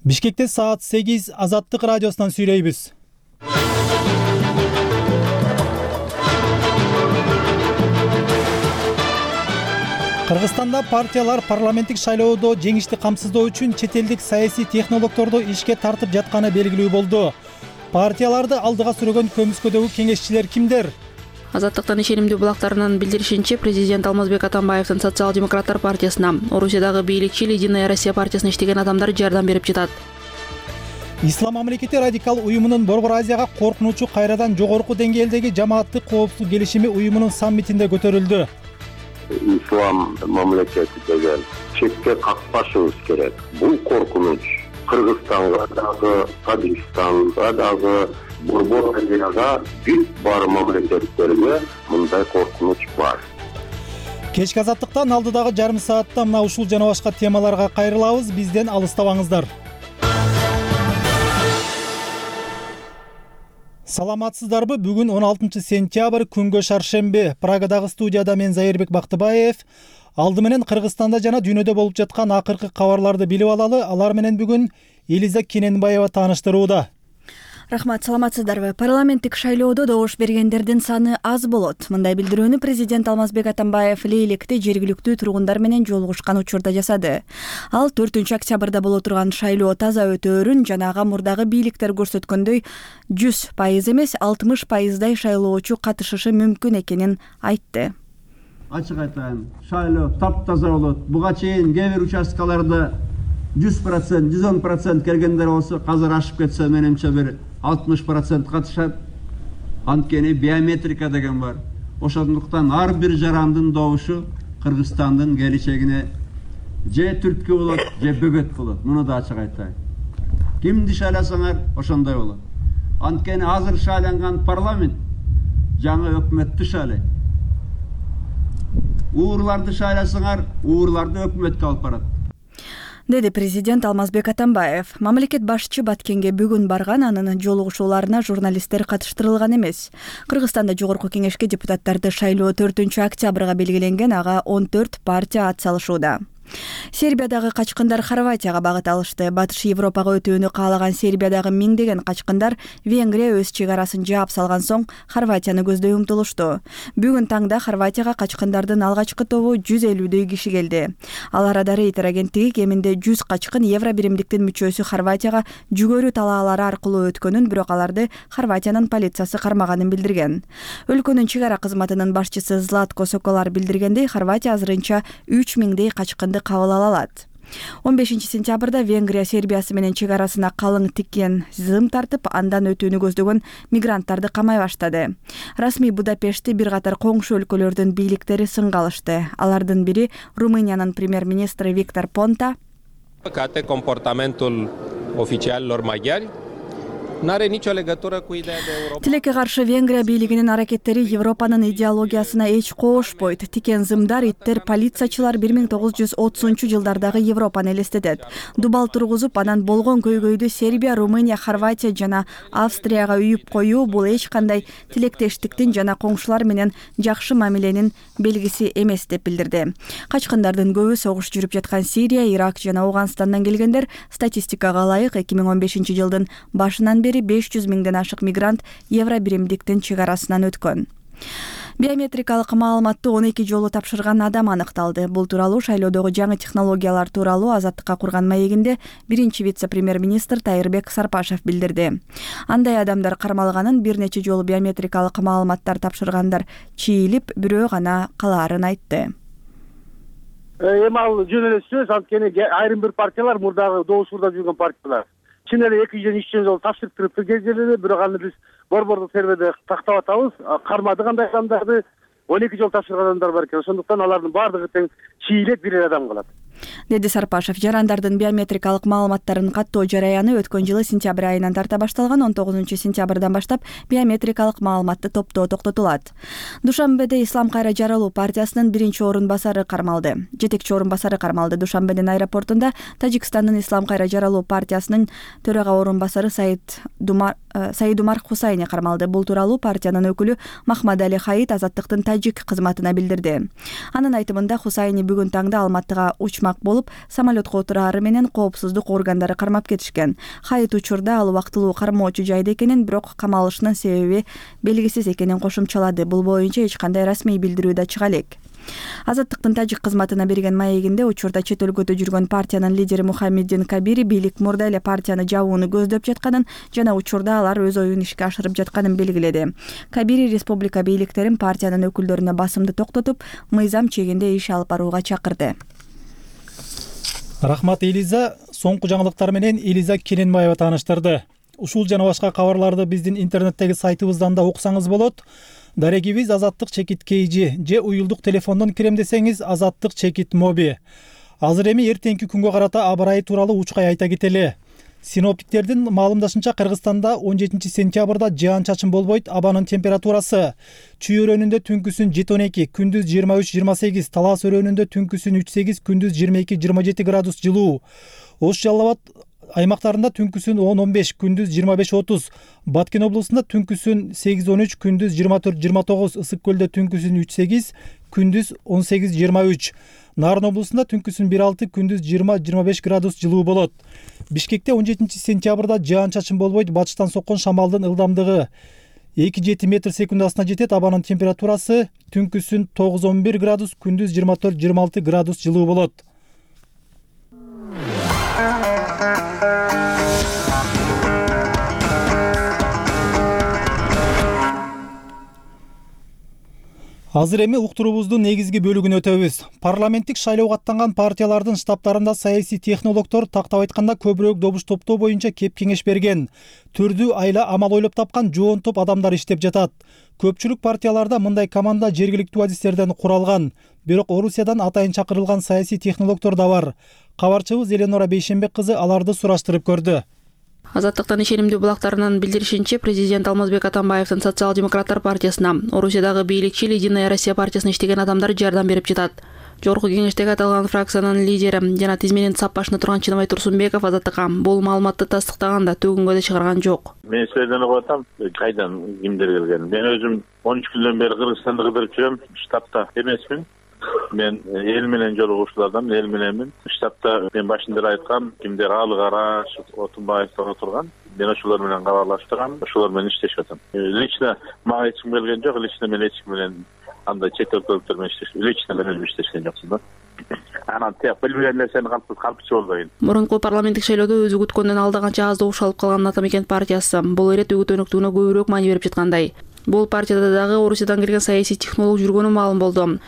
Бишкекте саат 8 Азаттык радиосунан сүйлөйбүз. Кыргызстанда партиялар парламенттик шайлоодо жеңишти камсыздоо үчүн чет элдик саясий технологдорду ишке тартып жатканы белгилүү болду. Партияларды алдыга сүргөн көмүскөдөгү кеңешчилер кимдер? Азаттыктын ишенимдүү булактарынын билдиришинче, президент Алмазбек Атамбаевдин Социал-демократтар партиясына, Орусиядагы бийликчил Единая Россия партиясына иштеген адамдар жардам берип жатат. Ислам мамлекети радикал уюмунун Борбор Азияга коркунучу кайрадан жогорку деңгээлдеги жамааттык коопсуздук келишими уюмунун саммитинде көтөрүлдү. Ислам мамлекети деген четке какпашыбыз керек. Бул коркунуч Кыргызстанга дагы, Тажикстанга дагы, Борбор Азияга бүт бар мамлекеттерге мындай коркунуч бар. Кечки Азаттыктан алдыдагы жарым саатта мына ушул жана башка темаларга кайрылабыз. Бизден алыстабаңыздар. Саламатсыздарбы? Бүгүн 16 сентябрь, күнгө шаршемби. Прагадагы студияда мен Зайырбек Бактыбаев. Алды менен Кыргызстанда жана дүйнөдө болуп жаткан акыркы кабарларды билип алалы. Алар менен бүгүн Элиза Кененбаева тааныштырууда. Рахмат, саламатсыздарбы? Парламенттик шайлоодо добуш бергендердин саны аз болот. Мындай билдирүүнү президент Алмазбек Атамбаев Лейлекте жергиликтүү тургундар менен жолугушкан учурда жасады. Ал 4 октябрда боло турган шайлоо таза өтөөрүн жана ага мурдагы бийликтер көрсөткөндөй 100% эмес 60%дай шайлоочу катышышы мүмкүн экенин айтты. Ачык айтайын, шайлоо таптаза болот. Буга чейин кээ бир участкаларда 100%, 110% келгендер болсо, азыр ашып кетсе менимче бир 60% катышат. Анткени биометрика деген бар. Ошондуктан ар бир жарандын добушу Кыргызстандын келечегине же түрткү болот, же бөгөт болот. Муну да ачык айтайын. Кимди шайласаңар ошондой болот. Анткени азыр шайланган парламент жаңы өкмөттү шайлайт. Уурларды шайласаңар, уурларды өкмөткө алып барат, деди президент Алмазбек Атамбаев. Мамлекет башчы Баткенге бүгүн барган, анын жолугушууларына журналисттер катыштырылган эмес. Кыргызстанда жогорку кеңешке депутаттарды шайлоо 4 октябрга белгиленген, ага 14 партия ат салышууда. Сербиядагы качкындар Хорватияга багыт алышты. Батыш Европага өтүүнү каалаган Сербиядагы миңдеген качкындар Венгрия өз чек арасын жаап салган соң Хорватияны көздөй умтулушту. Бүгүн таңда Хорватияга качкындардын алгачкы тобу 150дөй киши келди. Ал арада Рейтер агенттиги кеминде 100 качкын евро биримдиктин мүчөсү Хорватияга жүгөрү талаалары аркылуу өткөнүн, бирок аларды Хорватиянын полициясы кармаганын билдирген. Өлкөнүн чек ара кызматынын башчысы Златко Соколар билдиргендей, Хорватия азырынча 3000 качкынды кабыл ала алат. 15 сентябрда Венгрия Сербиясы менен чек арасына калың тиккен зым тартып, андан өтүүнү көздөгөн мигранттарды камай баштады. Расмий Будапештти бир катар коңшу өлкөлөрдүн бийликтери сынга алышты. Алардын бири Румыниянын премьер-министри Виктор Понта. Тилекке каршы Венгрия бийлигинин аракеттери Европанын идеологиясына эч коошпойт. Тикен зымдар, иттер, полициячылар 1930-жылдардагы Европаны элестетет. Дубал тургузуп, анан болгон көйгөйдү Сербия, Румыния, Хорватия жана Австрияга үйүп коюу бул эч кандай тилектештиктин жана коңшулар менен жакшы мамиленин белгиси эмес деп билдирди. Качкындардын көбү согуш жүрүп жаткан Сирия, Ирак жана Ауганстандан келгендер. Статистикага ылайык 2015-жылдын башынан 500 миңден ашык мигрант евро биримдиктин чек арасынан өткөн. Биометрикалык маалыматты 12 жолу тапшырган адам аныкталды. Бул тууралуу шайлоодогу жаңы технологиялар тууралуу Азаттыкка курган маегинде биринчи вице-премьер-министр Тайырбек Сарпашев билдирди. Андай адамдар кармалганын, бир нече жолу биометрикалык маалыматтар тапшыргандар чийлип, бирөө гана калаарын айтты. Эми ал жөн эле сөз, анткени айрым бир партиялар мурдагы добушурда жүргөн партиялар чын эле 200 жол тапшырып кездерде, бирок аны биз борбордук серверде тактап атабыз. Кармады кандай адамдарды 12 жол тапшырган адамдар бар экен. Ошондуктан алардын баардыгы тең чийлеп бир адам калат, деди Сарпашев. Жарандардын биометрикалык маалыматтарын каттоо жараяны өткөн жылы сентябрь айынан тарта башталган. 19 сентябрдан баштап биометрикалык маалыматты топтоо токтотулат. Душанбеде Ислам Кайра Жаралуу партиясынын биринчи орун басары кармалды. Жетекчи орун басары кармалды. Душанбенин аэропортунда Тажикстандын Ислам Кайра Жаралуу партиясынын төрага орун басары Саид Саидумар Хусайни кармалды. Бул тууралуу партиянын өкүлү Махмадали Хаит Азаттыктын тажик кызматына билдирди. Анын айтымында Хусайни бүгүн таңда Алматыга учмак болуп, самолетко отурары менен коопсуздук органдары кармап кетишкен. Хаит учурда ал убактылуу кармоочу жайда экенин, бирок камалышынын себеби белгисиз экенин кошумчалады. Бул боюнча эч кандай расмий билдирүү да чыга элек. Азаттыктын тажик кызматына берген маегинде учурда чет өлкөдө жүргөн партиянын лидери Мухаммеддин Кабири бийлик мурда эле партияны жабууну көздөп жатканын жана учурда алар өз оюн ишке ашырып жатканын белгиледи. Кабири республика бийликтерин партиянын өкүлдөрүнө басымды токтотуп, мыйзам чегинде иш алып барууга чакырды. Рахмат Элиза. Соңку жаңылыктар менен Элиза Кененбаева тааныштырды. Ушул жана башка кабарларды биздин интернеттеги сайтыбыздан да окусаңыз болот. Дарегибиз Азаттык чекит KG же уюлдук телефондон кирем десеңиз Азаттык чекит моби. Азыр эми эртеңки күнгө карата аба ырайы тууралуу учкай айта кетели. Синоптиктердин маалымдашынча Кыргызстанда 17 сентябрда жаан-чачын болбойт. Абанын температурасы Чүй өрөөнүндө түнкүсүн 7-12, күндүз 23-28, Талас өрөөнүндө түнкүсүн 3-8, күндүз 22-27 градус жылуу. Ош Жалал Абад аймактарында түнкүсүн 10-15, күндүз 25-30, Баткен облусунда түнкүсүн 8-13, күндүз 24-29, Ысык көлдө түнкүсүн 3-8, күндүз 18-23, Нарын облусунда түнкүсүн 1-6, күндүз 20-25 градус жылуу болот. Бишкекте 17 сентябрда жаан-чачын болбойт. Батыштан соккон шамалдын ылдамдыгы 2-7 метр секундасына жетет. Абанын температурасы түнкүсүн 9-11 градус, күндүз 24-26 градус жылуу болот. Азыр эми уктуруубуздун негизги бөлүгүн өтөбүз. Парламенттик шайлоого аттанган партиялардын штабтарында саясий технологдор тактап айтканда көбүрөөк добуш топтоо боюнча кеп кеңеш берген. Түрдүү айла амал ойлоп тапкан жоон топ адамдар иштеп жатат. Көпчүлүк партияларда мындай команда жергиликтүү адистерден куралган. Бирок Орусиядан атайын чакырылган саясий технологдор да бар. Кабарчыбыз Эленора Бейшенбек кызы аларды сураштырып көрдү. Азаттыктын ишенимдүү булактарынын билдиришинче, президент Алмазбек Атамбаевдин Социал-демократтар партиясына, Орусиядагы бийликчил Единая Россия партиясына иштеген адамдар жардам берип жатат. Жогорку кеңештеги аталган фракциянын лидери жана тизменин сап башында турган Чыныбай Турсунбеков Азаттыкка бул маалыматты тастыктаганда төгүнгө да чыгарган жок. Мен силерден угуп атам, кайдан кимдер келген. Мен өзүм 13 күндөн бери Кыргызстанды кыдырып жүрөм, штабта эмесмин. Мен эл менен жолугушуулардан, эл мененмин. Штабта мен башында айткам, кимдер Алы Караш, Отунбаевдер отурган. Мен ошолор менен кабарлашып турам, ошолор менен иштешип атам. Лично мага эч ким келген жок, лично мен эч ким менен андай чет өлкөлүктөр менен иштешим, лично мен өзүм иштешкен жокмун да. Анан билбеген нерсени калпчу болбойн. Мурунку парламенттик шайлоодо өзү күткөндөн алда канча аз добуш алып калган Атамекен партиясы бул ирет үгүтөнүктүгүнө көбүрөөк маани берип жаткандай. Бул партияда дагы Орусиядан келген саясий технолог жүргөнү маалым болду.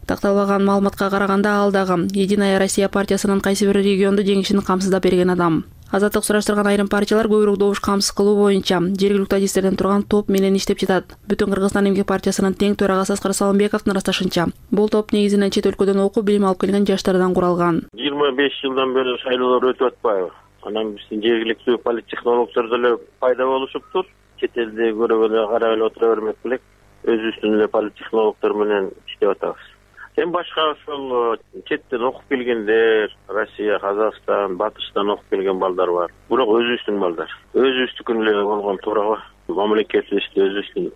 Такталган маалыматка караганда ал дагы Единая Россия партиясынын кайсы бир регионду жеңишин камсыздап берген адам. Азаттык сураштырган айрым партиялар көбүрөөк добуш камсыз кылуу боюнча жергиликтүү адистерден турган топ менен иштеп жатат. Бүтүн Кыргызстан эмгек партиясынын тең төрагасы Аскар Салымбековдун ырасташынча, бул топ негизинен чет өлкөдөн окуп билим алып келген жаштардан куралган. 25 жылдан бери шайлоолор өтүп атпайбы? Анан биздин жергиликтүү политтехнологдор деле пайда болушуптур. Чет элде көрүп эле карап эле отура бермек белек. Өзүбүздүн эле политтехнологдор менен иштеп атабыз. Эми башка ошол четтен окуп келгендер, Россия, Казакстан, Батыштан окуп келген балдар бар. Бирок өзүбүздүн балдар. Өзүбүздүкүн эле болгон туурабы? Мамлекетибизди, өзүбүздүн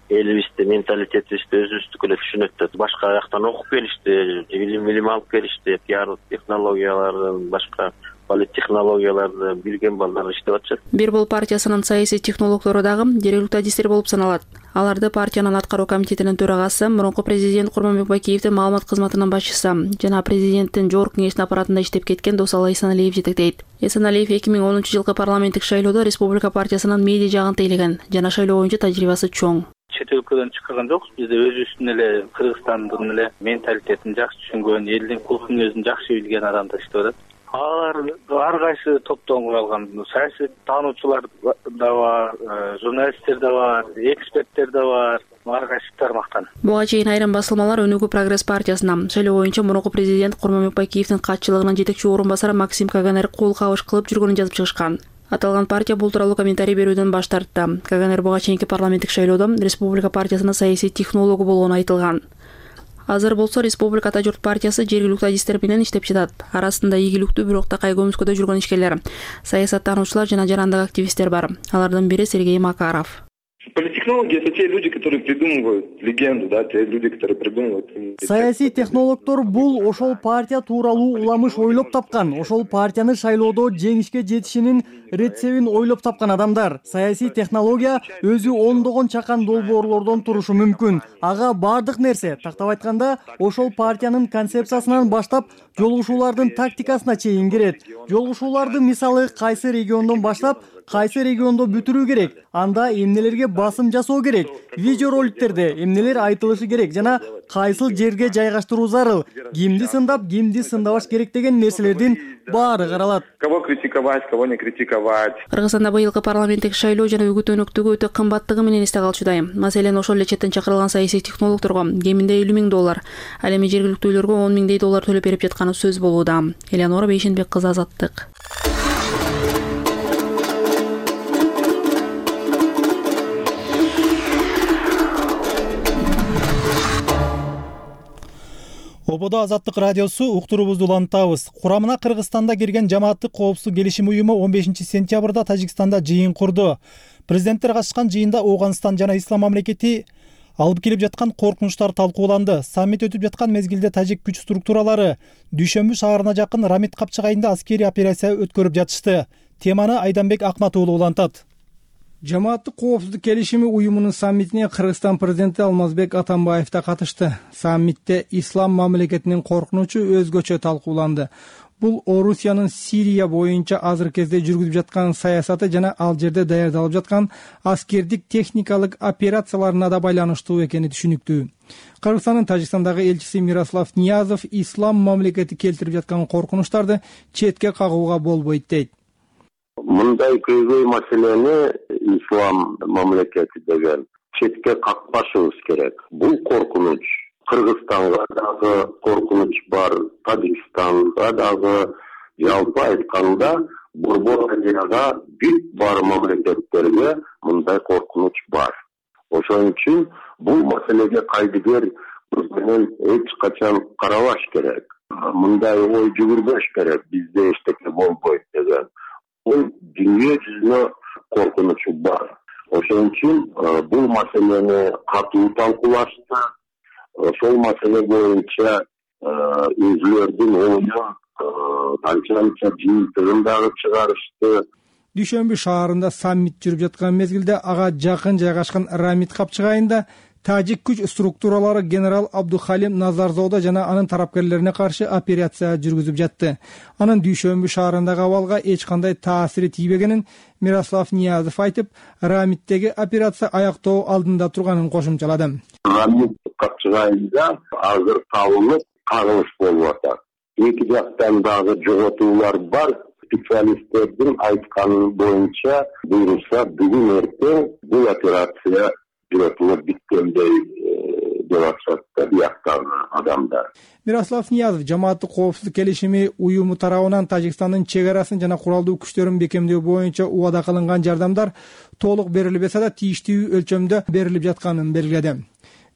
элибизди, менталитетибизди өзүбүздүкү эле түшүнөт да. Башка жактан окуп келишти, билим алып келишти, пиар технологияларын, башка политтехнологияларды билген балдар иштеп атышат. Бир бул партиясынын саясий технологдору дагы жергиликтүү адистер болуп саналат. Аларды партиянын аткаруу комитетинин төрагасы, мурунку президент Курманбек Бакиевдин маалымат кызматынын башчысы жана президенттин жогорку кеңештин аппаратында иштеп кеткен Досалы Эсеналиев жетектейт. Эсеналиев 2010 жылкы парламенттик шайлоодо республика партиясынын медиа жагын тейлеген жана шайлоо боюнча тажрыйбасы чоң. Чет өлкөдөн чыккан жокпуз. Бизде өзүбүздүн эле Кыргызстандын эле менталитетин жакшы түшүнгөн, элдин кулк мүнөзүн жакшы билген адамдар иштеп атат. Алар ар кайсы топтон куралган. Саясий таануучулар да бар, журналисттер да бар, эксперттер да бар. Ар кайсы тармактан. Буга чейин айрым басылмалар Өнүгүү Прогресс партиясына шайлоо боюнча мурунку президент Курманбек Бакиевдин катчылыгынын жетекчи орун басары Максим Каганер кол кабыш кылып жүргөнүн жазып чыгышкан. Аталган партия бул тууралуу комментарий берүүдөн баш тартты. Каганер буга чейинки парламенттик шайлоодо республика партиясынын саясий технологу болгону айтылган. Азыр болсо Республика Ата журт партиясы жергиликтүү адистер менен иштеп жатат. Арасында ийгиликтүү, бирок такай көмүскөдө жүргөн ишкерлер, саясаттануучулар жана жарандык активисттер бар. Алардын бири Сергей Макаров. Политтехнологи — это те люди, которые придумывают легенду, да, те люди, которые придумывают. Саясий технологдор бул ошол партия тууралуу уламыш ойлоп тапкан, ошол партияны шайлоодо жеңишке жетишинин рецебин ойлоп тапкан адамдар. Саясий технология өзү ондогон чакан долбоорлордон турушу мүмкүн. Ага бардык нерсе, тактап айтканда, ошол партиянын концепциясынан баштап жолугушуулардын тактикасына чейин кирет. Жолугушууларды мисалы кайсы региондон баштап кайсы региондо бүтүрүү керек, анда эмнелерге басым жасоо керек, видео роликтерде эмнелер айтылышы керек жана кайсыл жерге жайгаштыруу зарыл, кимди сындап, кимди сындабаш керек деген нерселердин баары каралат. Кого критиковать, кого не критиковать. Кыргызстанда быйылкы парламенттик шайлоо жана үгүт өнөктүгү өтө кымбаттыгы менен эсте калчудай. Маселен, ошол эле четтен чакырылган саясий технологдорго кеминде $50,000, ал эми жергиликтүүлөргө $10,000 төлөп берип жатканы сөз болууда. Элеонора Бейшенбек кызы, Азаттык. Ободо Азаттык радиосу уктуруубузду улантабыз. Курамына Кыргызстанда кирген жамааттык коопсуздук келишим уюму 15 сентябрда Тажикстанда жыйын курду. Президенттер катышкан жыйында Ооганстан жана Ислам мамлекети алып келип жаткан коркунучтар талкууланды. Саммит өтүп жаткан мезгилде тажик күч структуралары Дүйшөмбү шаарына жакын Рамит капчыгайында аскерий операция өткөрүп жатышты. Теманы Айданбек Акматуулу улантат. Жамааттык коопсуздук келишими уюмунун саммитине Кыргызстан президенти Алмазбек Атамбаев да катышты. Саммитте ислам мамлекетинин коркунучу өзгөчө талкууланды. Бул Орусиянын Сирия боюнча азыркы кезде жүргүзүп жаткан саясаты жана ал жерде даярдалып жаткан аскердик техникалык операцияларына да байланыштуу экени түшүнүктүү. Кыргызстандын Тажикстандагы элчиси Мирослав Ниязов ислам мамлекети келтирип жаткан коркунучтарды четке кагууга болбойт дейт. Мындай көйгөй маселени ислам мамлекети деген четке какпашыбыз керек. Бул коркунуч Кыргызстанга дагы коркунуч бар, Тажикстанга дагы, жалпы айтканда Борбор Азияга бүт бар мамлекеттерге мындай коркунуч бар. Ошон үчүн бул маселеге кайдыгер менен эч качан карабаш керек. Мындай ой жүгүрбөш керек, бизде эчтеке болбойт деген. Бул дүйнө жүзүнө коркунучу бар. Ошон үчүн бул маселени катуу талкуулашты. Ошол маселе боюнча өзүлөрдүн оюн канча жыйынтыгын дагы чыгарышты. Дүйшөмбү шаарында саммит жүрүп жаткан мезгилде ага жакын жайгашкан Рамит капчыгайында тажик күч структуралары генерал Абдухалим Назарзода жана анын тарапкерлерине каршы операция жүргүзүп жатты. Анын Дүйшөмбү шаарындагы абалга эч кандай таасири тийбегенин Мирослав Ниязов айтып, Рамиттеги операция аяктоо алдында турганын кошумчалады. Рамит капчыгайында азыр табылып кагылыш болуп атат. Эки жактан дагы жоготуулар бар. Специалисттердин айтканы боюнча буйрулса бүгүн эртең бул операция жүрөтүлүп биткендей деп атышат да бияктагы адамдар. Мирослав Ниязов жамааттык коопсуздук келишими уюму тарабынан Тажикстандын чек арасын жана куралдуу күчтөрүн бекемдөө боюнча убада кылынган жардамдар толук берилбесе да тийиштүү өлчөмдө берилип жатканын белгиледи.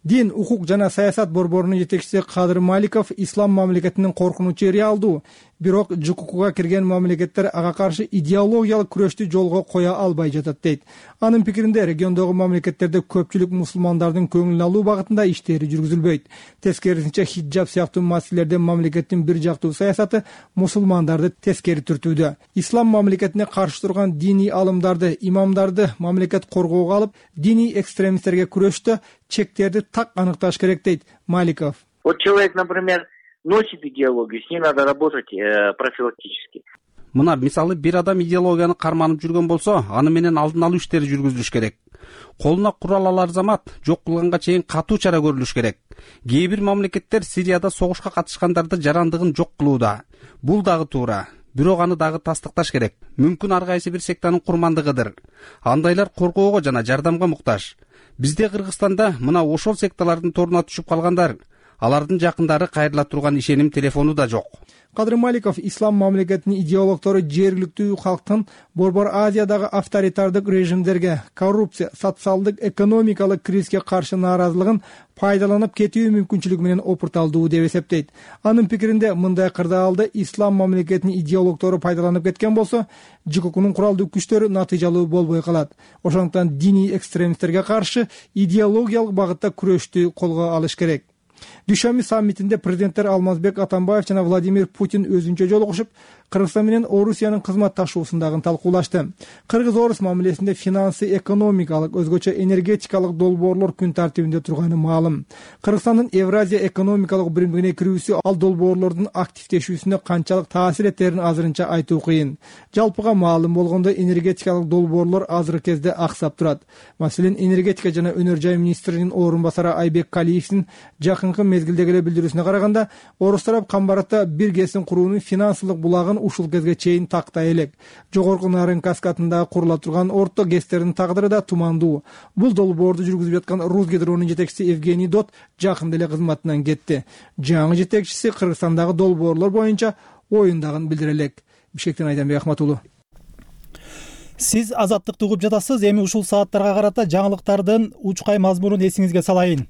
Дин, укук жана саясат борборунун жетекчиси Кадыр Маликов ислам мамлекетинин коркунучу реалдуу, бирок ЖККга кирген мамлекеттер ага каршы идеологиялык күрөштү жолго кое албай жатат дейт. Анын пикиринде региондогу мамлекеттерде көпчүлүк мусулмандардын көңүлүн алуу багытында иштери жүргүзүлбөйт. Тескерисинче хиджаб сыяктуу маселелерде мамлекеттин бир жактуу саясаты мусулмандарды тескери түртүүдө. Ислам мамлекетине каршы турган диний алымдарды, имамдарды мамлекет коргоого алып, диний экстремисттерге күрөштө чектерди так аныкташ керек дейт Маликов. Вот человек, например, носит идеологию, с ней надо работать профилактически. Мына мисалы бир адам идеологияны карманып жүргөн болсо, аны менен алдын алуу иштери жүргүзүлүш керек. Колуна курал алар замат жок кылганга чейин катуу чара көрүлүш керек. Кээ бир мамлекеттер Сирияда согушка катышкандарды жарандыгын жок кылууда. Бул дагы туура. Бирок аны дагы тастыкташ керек. Мүмкүн ар кайсы бир сектанын курмандыгыдыр. Андайлар коргоого жана жардамга муктаж. Бизде Кыргызстанда мына ошол секталардын торуна түшүп калгандар. алардын жакындары кайрыла турган ишеним телефону да жок. Кадыр Маликов ислам мамлекетинин идеологтору жергиликтүү калктын Борбор Азиядагы авторитардык режимдерге, коррупция, социалдык, экономикалык кризиске каршы нааразылыгын пайдаланып кетүү мүмкүнчүлүгү менен опурталдуу деп эсептейт. Анын пикиринде мындай кырдаалды ислам мамлекетинин идеологтору пайдаланып кеткен болсо, ЖККнын куралдуу күчтөрү натыйжалуу болбой калат. Ошондуктан диний экстремисттерге каршы идеологиялык багытта күрөштү колго алыш керек. Дүйшөмбү саммитинде президенттер Алмазбек Атамбаев жана Владимир Путин өзүнчө жолугушуп, Кыргызстан менен Орусиянын кызматташуусундагы талкуулашты. Кыргыз-Орус мамилесинде финансы, экономикалык, өзгөчө энергетикалык долбоорлор күн тартибинде турганы маалым. Кыргызстандын Евразия экономикалык биримдигине кирүүсү ал долбоорлордун активдешүүсүнө канчалык таасир этерин азырынча айтуу кыйын. Жалпыга маалым болгондой энергетикалык долбоорлор азыркы кезде аксап турат. Маселен, энергетика жана өнөр жай министринин орун басары Айбек Калиевдин жакынкы мезгилдеги эле билдирүүсүнө караганда, Орус тарап Камбаратта бир ГЭСин куруунун финансылык булагын ушул кезге чейин тактай элек. Жогорку Нарын каскадында курула турган орто ГЭСтердин тагдыры да тумандуу. Бул долбоорду жүргүзүп жаткан Русгидронун жетекчиси Евгений Дот жакында эле кызматынан кетти. Жаңы жетекчиси Кыргызстандагы долбоорлор боюнча оюндагын билдире элек. Бишкектен Айданбек Ахматулу. Сиз Азаттыкты угуп жатасыз. Эми ушул сааттарга карата жаңылыктардын учкай мазмунун эсиңизге салайын.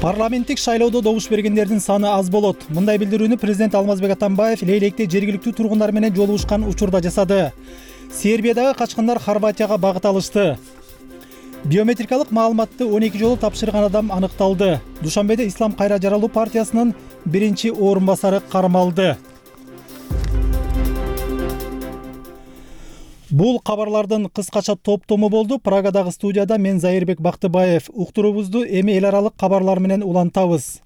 Парламенттик шайлоодо добуш бергендердин саны аз болот. Мындай билдирүүнү президент Алмазбек Атамбаев Лейлекте жергиликтүү тургундар менен жолугушкан учурда жасады. Сербиядагы качкындар Хорватияга багыт алышты. Биометрикалык маалыматты 12 жолу тапшырган адам аныкталды. Душанбеде Ислам кайра жаралуу партиясынын биринчи орун басары кармалды. Бул кабарлардын кыскача топтому болду. Прагадагы студияда мен Зайырбек Бактыбаев. Уктуруубузду эми эл аралык кабарлар менен улантабыз.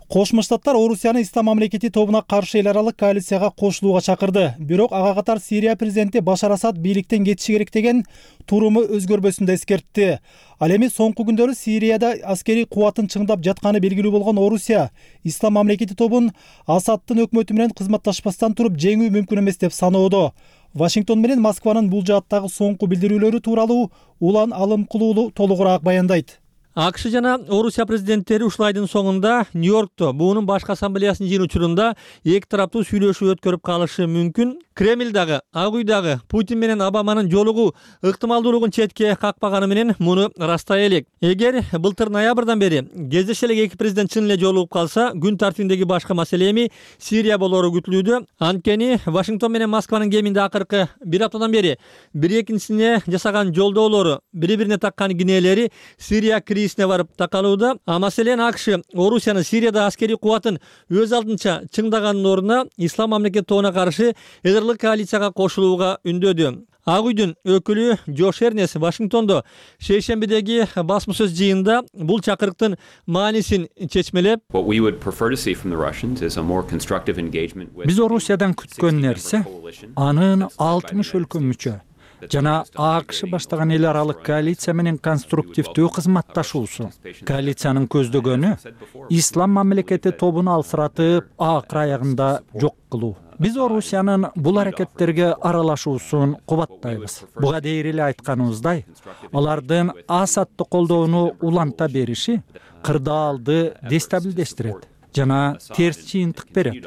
Кошмо Штаттар Орусияны Ислам мамлекети тобуна каршы эл аралык коалицияга кошулууга чакырды. Бирок ага катар Сирия президенти Башар Асад бийликтен кетиши керек деген туруму өзгөрбөсүн да эскертти. Ал эми соңку күндөрү Сирияда аскерий кубатын чыңдап жатканы белгилүү болгон Орусия Ислам мамлекети тобун Асадтын өкмөтү менен кызматташпастан туруп жеңүү мүмкүн эмес деп саноодо. Вашингтон менен Москванын бул жааттагы соңку билдирүүлөрү тууралуу Улан Алымкулуулу толугураак баяндайт. АКШ жана Орусия президенттери ушул айдын соңунда Нью-Йоркто буунун башкы ассамблеясынын жыйын учурунда эки тараптуу сүйлөшүү өткөрүп калышы мүмкүн. Кремлдагы, Ак үйдагы Путин менен Обаманын жолугуу ыктымалдуулугун четке какпаганы менен муну растай элек. Эгер былтыр ноябрдан бери кездеше элек эки президент чын эле жолугуп калса, күн тартибиндеги башкы маселе эми Сирия болору күтүлүүдө. Анткени Вашингтон менен Москванын кеминде акыркы бир аптадан бери бири-экинчисине жасаган жолдоолору, бири-бирине таккан кинелери Сирия кризисине барып такалууда. Маселен АКШ Орусиянын Сирияда аскерий кубатын өз алдынча чыңдаганын ордуна Ислам мамлекети тобуна каршы эдерлик коалицияга кошулууга үндөдү. Ак үйдүн өкүлү Джош Эрнес Вашингтондо шейшембидеги басма сөз жыйынында бул чакырыктын маанисин чечмелеп, биз Орусиядан күткөн нерсе анын 60 өлкө мүчө жана АКШ баштаган эл аралык коалиция менен конструктивдүү кызматташуусу. Коалициянын көздөгөнү Ислам мамлекети тобун алсыратып, акыр аягында жок кылуу. Биз Орусиянын бул аракеттерге аралашуусун кубаттайбыз. Буга дейир эле айтканыбыздай, алардын Асадты колдоону уланта бериши кырдаалды дестабилдештирет жана терс чыйынтык берет.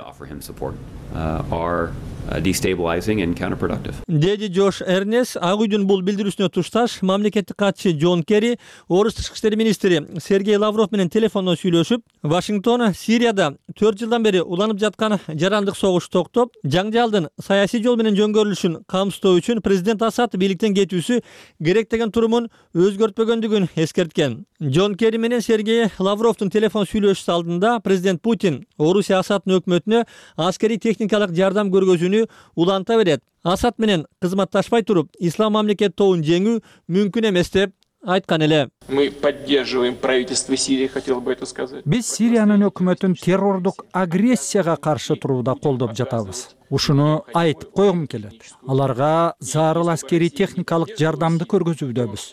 Деди Джош Эрнес. Ак үйдүн бул билдирүүсүнө тушташ мамлекеттик катчы Джон Керри, Орус тышкы иштер министри Сергей Лавров менен телефондон сүйлөшүп, Вашингтон Сирияда 4 жылдан бери уланып жаткан жарандык согуш токтоп, жаңжалдын саясий жол менен жөнгөрүлүшүн камсыздоо үчүн президент Асад бийликтен кетүүсү керек деген турумун өзгөртпөгөндүгүн эскерткен. Джон Керри менен Сергей Лавровдун телефон сүйлөшүүсү алдында президент Путин Орусия Асадтын өкмөтүнө аскерий техникалык жардам көргөзүүнү уланта берет. Асад менен кызматташпай туруп, Ислам мамлекети тобун жеңүү мүмкүн эмес деп айткан эле. Биз Сириянын өкмөтүн террордук агрессияга каршы турууда колдоп жатабыз. Ушуну айтып койгум келет. Аларга зарыл аскерий техникалык жардамды көргөзүүдөбүз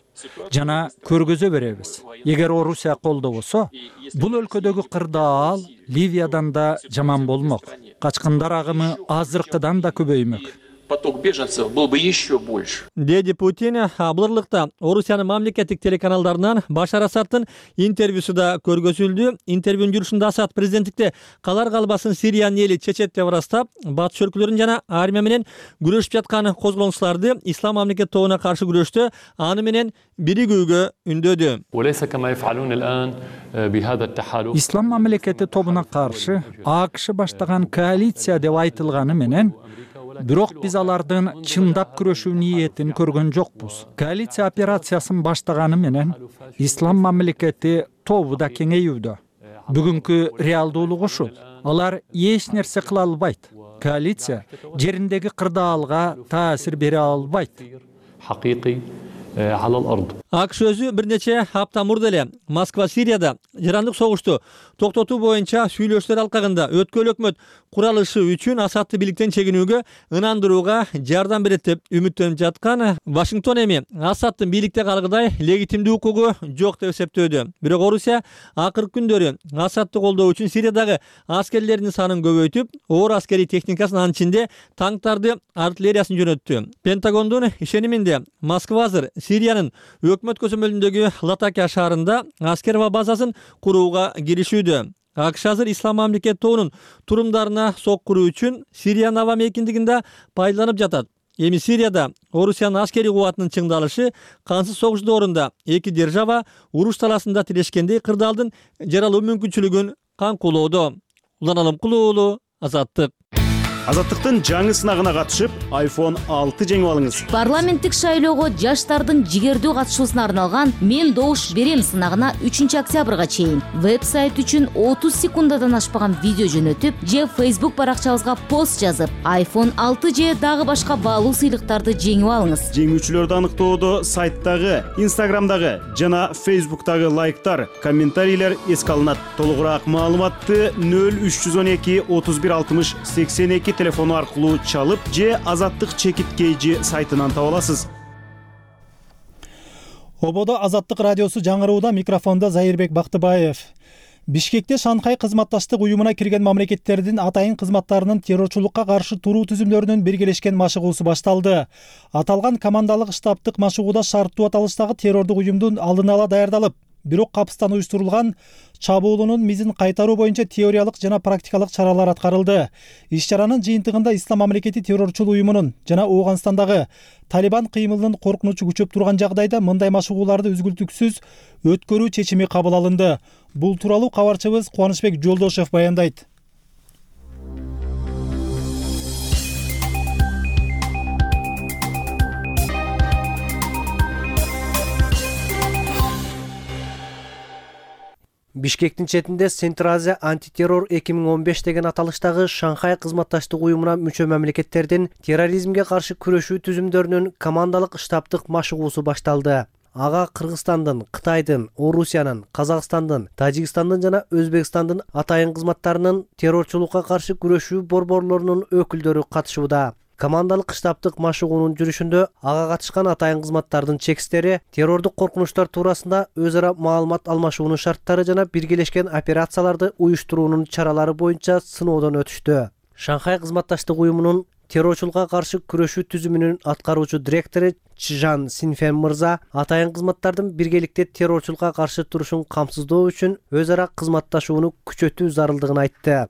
жана көргөзө беребиз. Эгер Орусия колдобосо, бул өлкөдөгү кырдаал Ливиядан да жаман болмок. Качкындар агымы азыркыдан да көбөймөк. поток беженцев был бы еще больше. Деди Путин Булырлыкта Орусиянын мамлекеттик телеканалдарынан Башар Асадтын интервьюсу да көргөзүлдү. Интервьюнун жүрүшүндө Асад президенттикте калар калбасын Сириянын эли чечет деп ырастап, батыш өлкөлөрүн жана армия менен күрөшүп жаткан козголоңчуларды ислам мамлекет тобуна каршы күрөштө аны менен биригүүгө үндөдү. Ислам мамлекети тобуна каршы АКШ баштаган коалиция деп айтылганы менен, бирок биз алардын чындап күрөшүү ниетин көргөн жокпуз. Коалиция операциясын баштаганы менен ислам мамлекети тобу да кеңейүүдө. Бүгүнкү реалдуулук ушул. Алар эч нерсе кыла албайт. Коалиция жериндеги кырдаалга таасир бере албайт. АКШ өзү бир нече апта мурда эле Москва Сирияда жарандык согушту токтотуу боюнча сүйлөшүүлөр алкагында өткөл өкмөт куралышы үчүн Асадты бийликтен чегинүүгө ынандырууга жардам берет деп үмүттөнүп жаткан. Вашингтон эми Асадтын бийликте калгыдай легитимдүү укугу жок деп эсептөөдө. Бирок Орусия акыркы күндөрү Асадты колдоо үчүн Сириядагы аскерлердин санын көбөйтүп, оор аскерий техникасын, анын ичинде танктарды, артиллериясын жөнөттү. Пентагондун ишениминде Москва азыр Сириянын өкмөт көзөмөлүндөгү Латакия шаарында аскер базасын курууга киришүүдө. АКШ азыр ислам мамлекет тобунун турумдарына сок куруу үчүн Сириянын аба мейкиндигинде пайдаланып жатат. Эми Сирияда Орусиянын аскерий кубатынын чыңдалышы кансыз согуш доорунда эки держава уруш таласында тирешкендей кырдаалдын жаралуу мүмкүнчүлүгүн каңкулоодо. Улан Алымкулуу уулу, Азаттык. Азаттыктын жаңы сынагына катышып, iPhone 6 жеңип алыңыз. Парламенттик шайлоого жаштардын жигердүү катышуусуна арналган «Мен добуш берем» сынагына 3 октябрга чейин веб-сайт үчүн 30 секундадан ашпаган видео жөнөтүп, же Facebook баракчабызга пост жазып, iPhone 6 же дагы башка баалуу сыйлыктарды жеңип алыңыз. Жеңүүчүлөрдү аныктоодо сайтдагы, Instagramдагы жана Facebook'тагы лайктар, комментарийлер эске алынат. Толугураак маалыматты 0312 31 60 82 телефону аркылуу чалып же Азаттык чекит кейжи сайтынан таба аласыз. Ободо Азаттык радиосу жаңырууда, микрофондо Зайырбек Бактыбаев. Бишкекте Шанхай кызматташтык уюмуна кирген мамлекеттердин атайын кызматтарынын террорчулукка каршы туруу түзүмдөрүнүн биргелешкен машыгуусу башталды. Аталган командалык штабтык машыгууда шарттуу аталыштагы террордук уюмдун алдын ала даярдалып, бирок капыстан уюштурулган чабуулунун мизин кайтаруу боюнча теориялык жана практикалык чаралар аткарылды. Иш-чаранын жыйынтыгында Ислам мамлекети террорчул уюмунун жана Ооганстандагы Талибан кыймылынын коркунучу күчөп турган жагдайда мындай машыгууларды үзгүлтүксүз өткөрүү чечими кабыл алынды. Бул тууралуу кабарчыбыз Кубанычбек Жолдошев баяндайт. Бишкектин четинде Центр Азия антитеррор 2015 деген аталыштагы Шанхай кызматташтык уюмуна мүчө мамлекеттердин терроризмге каршы күрөшүү түзүмдөрүнүн командалык штабтык машыгуусу башталды. Ага Кыргызстандын, Кытайдын, Орусиянын, Казакстандын, Тажикстандын жана Өзбекстандын атайын кызматтарынын террорчулукка каршы күрөшүү борборлорунун өкүлдөрү катышууда. Командалык штабтык машыгуунун жүрүшүндө ага катышкан атайын кызматтардын чекистери террордук коркунучтар туурасында өз ара маалымат алмашуунун шарттары жана биргелешкен операцияларды уюштуруунун чаралары боюнча сыноодон өтүштү. Шанхай кызматташтык уюмунун террорчулукка каршы күрөшүү түзүмүнүн аткаруучу директору Чжан Синфен мырза атайын кызматтардын биргеликте террорчулукка каршы турушун камсыздоо үчүн өз ара кызматташууну күчөтүү зарылдыгын айтты.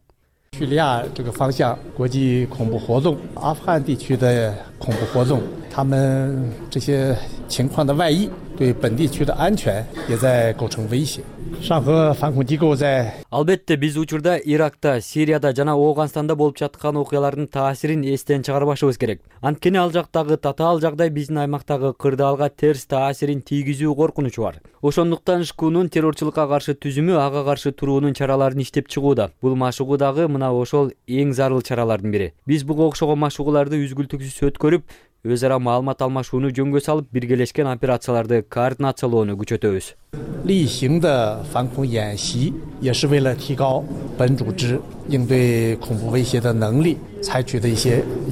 叙利亚这个方向，国际恐怖活动，阿富汗地区的恐怖活动，他们这些情况的外溢，对本地区的安全也在构成威胁。上合反恐机构在 Албетте биз учурда Иракта, Сирияда жана Ооганстанда болуп жаткан окуялардын таасирин эстен чыгарбашыбыз керек. Анткени ал жактагы татаал жагдай биздин аймактагы кырдаалга терс таасирин тийгизүү коркунучу бар. Ошондуктан ШКУнун террорчулукка каршы түзүмү ага каршы туруунун чараларын иштеп чыгууда. Бул машыгуу дагы мына ошол эң зарыл чаралардын бири. Биз буга окшогон машыгууларды үзгүлтүксүз өткөрүп, өз ара маалымат алмашууну жөнгө салып, биргелешкен операцияларды координациялоону күчөтөбүз. 例行的反恐演习也是为了提高本组织应对恐怖威胁的能力，采取的一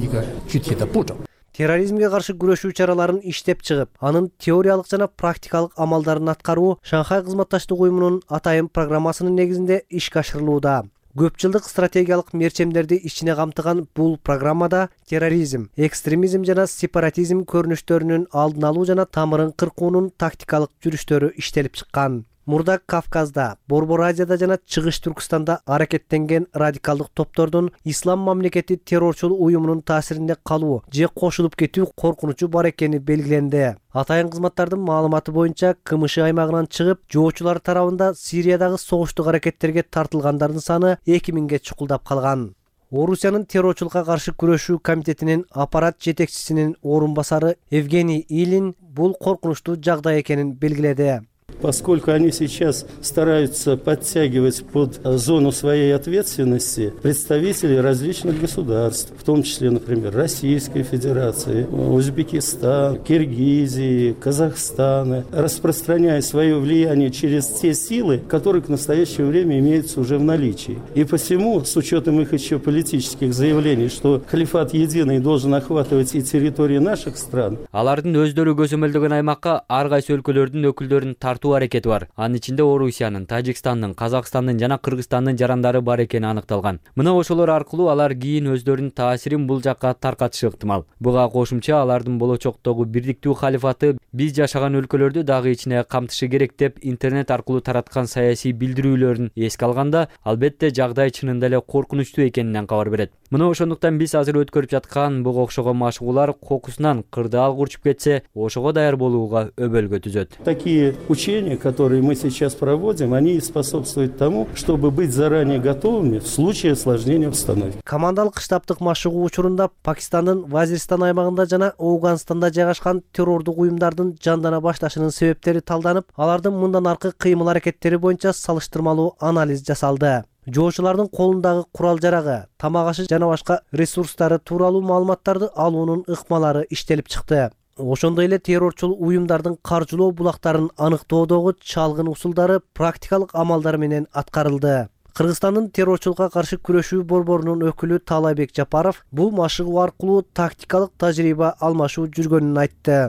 个具体的步骤。 Терроризмге каршы күрөшүү чараларын иштеп чыгып, анын теориялык жана практикалык амалдарын аткаруу Шанхай кызматташтык уюмунун атайын программасынын негизинде ишке ашырылууда. көп жылдык стратегиялык мерчемдерди ичине камтыган бул программада терроризм, экстремизм жана сепаратизм көрүнүштөрүнүн алдын алуу жана тамырын кыркуунун тактикалык жүрүштөрү иштелип чыккан. Мурда Кавказда, Борбор Азияда жана Чыгыш Түркстанда аракеттенген радикалдык топтордун ислам мамлекети террорчул уюмунун таасиринде калуу же кошулуп кетүү коркунучу бар экени белгиленди. Атайын кызматтардын маалыматы боюнча КМШ аймагынан чыгып, жоочулар тарабында Сириядагы согуштук аракеттерге тартылгандардын саны 2000ге чукулдап калган. Орусиянын террорчулукка каршы күрөшүү комитетинин аппарат жетекчисинин орун басары Евгений Илин бул коркунучтуу жагдай экенин белгиледи. Поскольку они сейчас стараются подтягивать под зону своей ответственности представителей различных государств, в том числе, например, Российской Федерации, Узбекистана, Киргизии, Казахстана, распространяя свое влияние через те силы, которые к настоящему время имеются уже в наличии. И посему, с учетом их еще политических заявлений, что халифат единый должен охватывать и территории наших стран. Алардын өздөрү көзөмөлдөгөн аймакка ар кайсы өлкөлөрдүн өкүлдөрүн тартуу аракети бар. Анын ичинде Орусиянын, Тажикстандын, Казакстандын жана Кыргызстандын жарандары бар экени аныкталган. Мына ошолор аркылуу алар кийин өздөрүнүн таасирин бул жакка таркатышы ыктымал. Буга кошумча алардын болочоктогу бирдиктүү халифаты биз жашаган өлкөлөрдү дагы ичине камтышы керек деп интернет аркылуу тараткан саясий билдирүүлөрүн эске алганда, албетте жагдай чынында эле коркунучтуу экенинен кабар берет. Мына ошондуктан биз азыр өткөрүп жаткан буга окшогон машыгуулар кокусунан кырдаал курчуп кетсе, ошого даяр болууга өбөлгө түзөт. Такие учения, которые мы сейчас проводим, они способствуют тому, чтобы быть заранее готовыми в случае осложнения обстановки. Командалык штабтык машыгуу учурунда Пакистандын Вазиристан аймагында жана Ауганстанда жайгашкан террордук уюмдардын жандана башташынын себептери талданып, алардын мындан аркы кыймыл-аракеттери боюнча салыштырмалуу анализ жасалды. Жоочулардын колундагы курал-жарагы, тамак-ашы жана башка ресурстары тууралуу маалыматтарды алуунун ыкмалары иштелип чыкты. Ошондой эле террорчул уюмдардын каржылоо булактарын аныктоодогу чалгын усулдары практикалык амалдар менен аткарылды. Кыргызстандын террорчулукка каршы күрөшүү борборунун өкүлү Таалайбек Жапаров бул машыгуу аркылуу тактикалык тажрыйба алмашуу жүргөнүн айтты.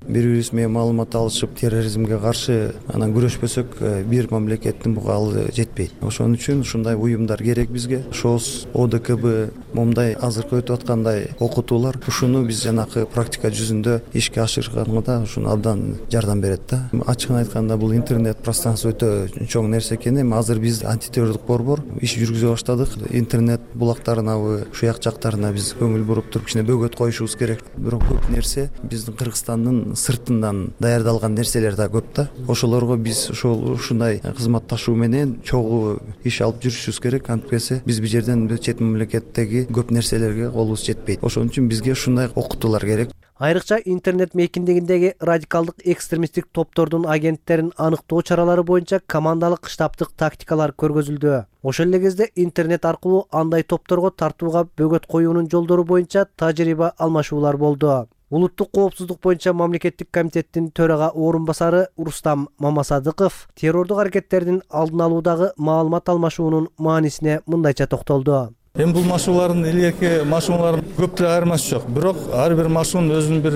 Бири-бирибиз менен маалымат алышып, терроризмге каршы анан күрөшпөсөк, бир мамлекеттин буга ал жетпейт. Ошон үчүн ушундай уюмдар керек бизге. ШОС, ОДКБ, момундай азыркы өтүп аткандай окутуулар ушуну биз жанакы практика жүзүндө ишке ашырганга ушуну абдан жардам берет да. Ачыгын айтканда бул интернет пространство өтө чоң нерсе экен. Эми азыр биз антитеррорлук борбор иш жүргүзө баштадык. Интернет булактарына, шуяк жактарына биз көңүл буруп туруп кичине бөгөт коюшубуз керек. Бирок көп нерсе биздин Кыргызстандын сыртынан даярдалган нерселер да көп да. Ошолорго биз ушундай кызматташуу менен чогуу иш алып жүрүшүбүз керек. Антпесе биз бул жерден чет мамлекеттеги көп нерселерге колубуз жетпейт. Ошон үчүн бизге ушундай окутуулар керек. Айрыкча интернет мейкиндигиндеги радикалдык экстремисттик топтордун агенттерин аныктоо чаралары боюнча командалык штабтык тактикалар көргөзүлдү. Ошол эле кезде интернет аркылуу андай топторго тартууга бөгөт коюунун жолдору боюнча тажрыйба алмашуулар болду. Улуттук коопсуздук боюнча мамлекеттик комитеттин төрага орун басары Рустам Мамасадыков террордук аракеттердин алдын алуудагы маалымат алмашуунун маанисине мындайча токтолду. Эми бул машыгуулардын илгерки машыгуулар көп деле айырмасы жок. Бирок ар бир машыгуунун өзүнүн бир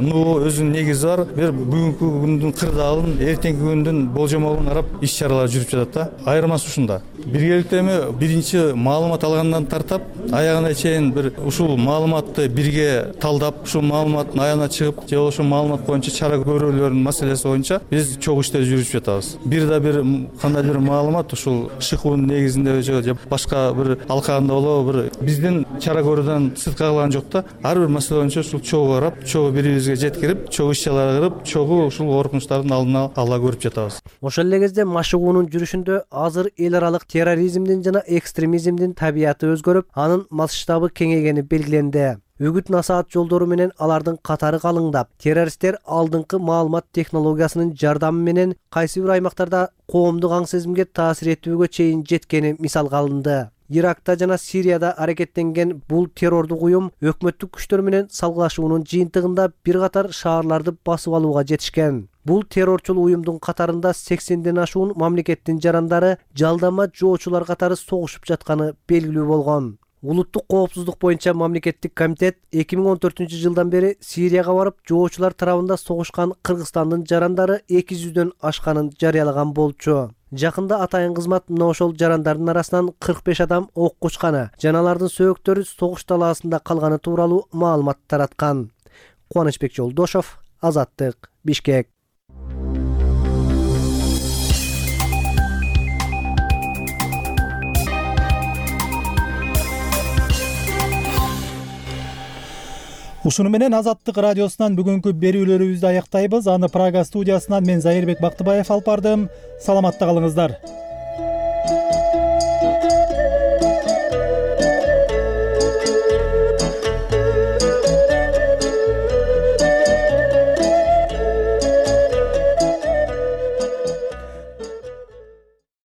нугу, өзүнүн негизи бар. Бир бүгүнкү күндүн кырдаалын, эртеңки күндүн болжомолун карап иш-чаралар жүрүп жатат да. Айырмасы ушунда. Биргеликте эми биринчи маалымат алгандан тартап, аягына чейин бир ушул маалыматты бирге талдап, ушул маалыматтын аягына чыгып, же ошол маалымат боюнча чара көрүүлөрдүн маселеси боюнча биз чогуу иштер жүргүзүп жатабыз. Бир да бир кандайдыр маалымат ушул ШКУнун негизинде же башка бир алкагында бир биздин чара көрүүдөн сырт кагылган жок да. Ар бир маселе боюнча ушул чогуу карап, чогуу бири-бирибизге жеткирип, чогуу иш-чаралар кылып, чогуу ушул коркунучтардын алдын ала көрүп жатабыз. Ошол эле кезде машыгуунун жүрүшүндө азыр эл аралык терроризмдин жана экстремизмдин табияты өзгөрүп, анын масштабы кеңейгени белгиленди. Үгүт-насаат жолдору менен алардын катары калыңдап, террористтер алдыңкы маалымат технологиясынын жардамы менен кайсы бир аймактарда коомдук аң сезимге таасир этүүгө чейин жеткени мисалга алынды. Иракта жана Сирияда аракеттенген бул террордук уюм өкмөттүк күчтөр менен салгылашуунун жыйынтыгында бир катар шаарларды басып алууга жетишкен. Бул террорчул уюмдун катарында 80ден ашуун мамлекеттин жарандары жалдама жоочулар катары согушуп жатканы белгилүү болгон. Улуттук коопсуздук боюнча мамлекеттик комитет 2014-жылдан бери Сирияга барып, жоочулар тарабында согушкан Кыргызстандын жарандары 200дөн ашканын жарыялаган болчу. Жакында атайын кызмат мына ошол жарандардын арасынан 45 адам ок кучканы жана алардын сөөктөрү согуш талаасында калганы тууралуу маалымат тараткан. Кубанычбек Жолдошов, Азаттык, Бишкек. Ушуну менен Азаттык радиосунан бүгүнкү берүүлөрүбүздү аяктайбыз. Аны Прага студиясынан мен Зайырбек Бактыбаев алып бардым. Саламатта калыңыздар.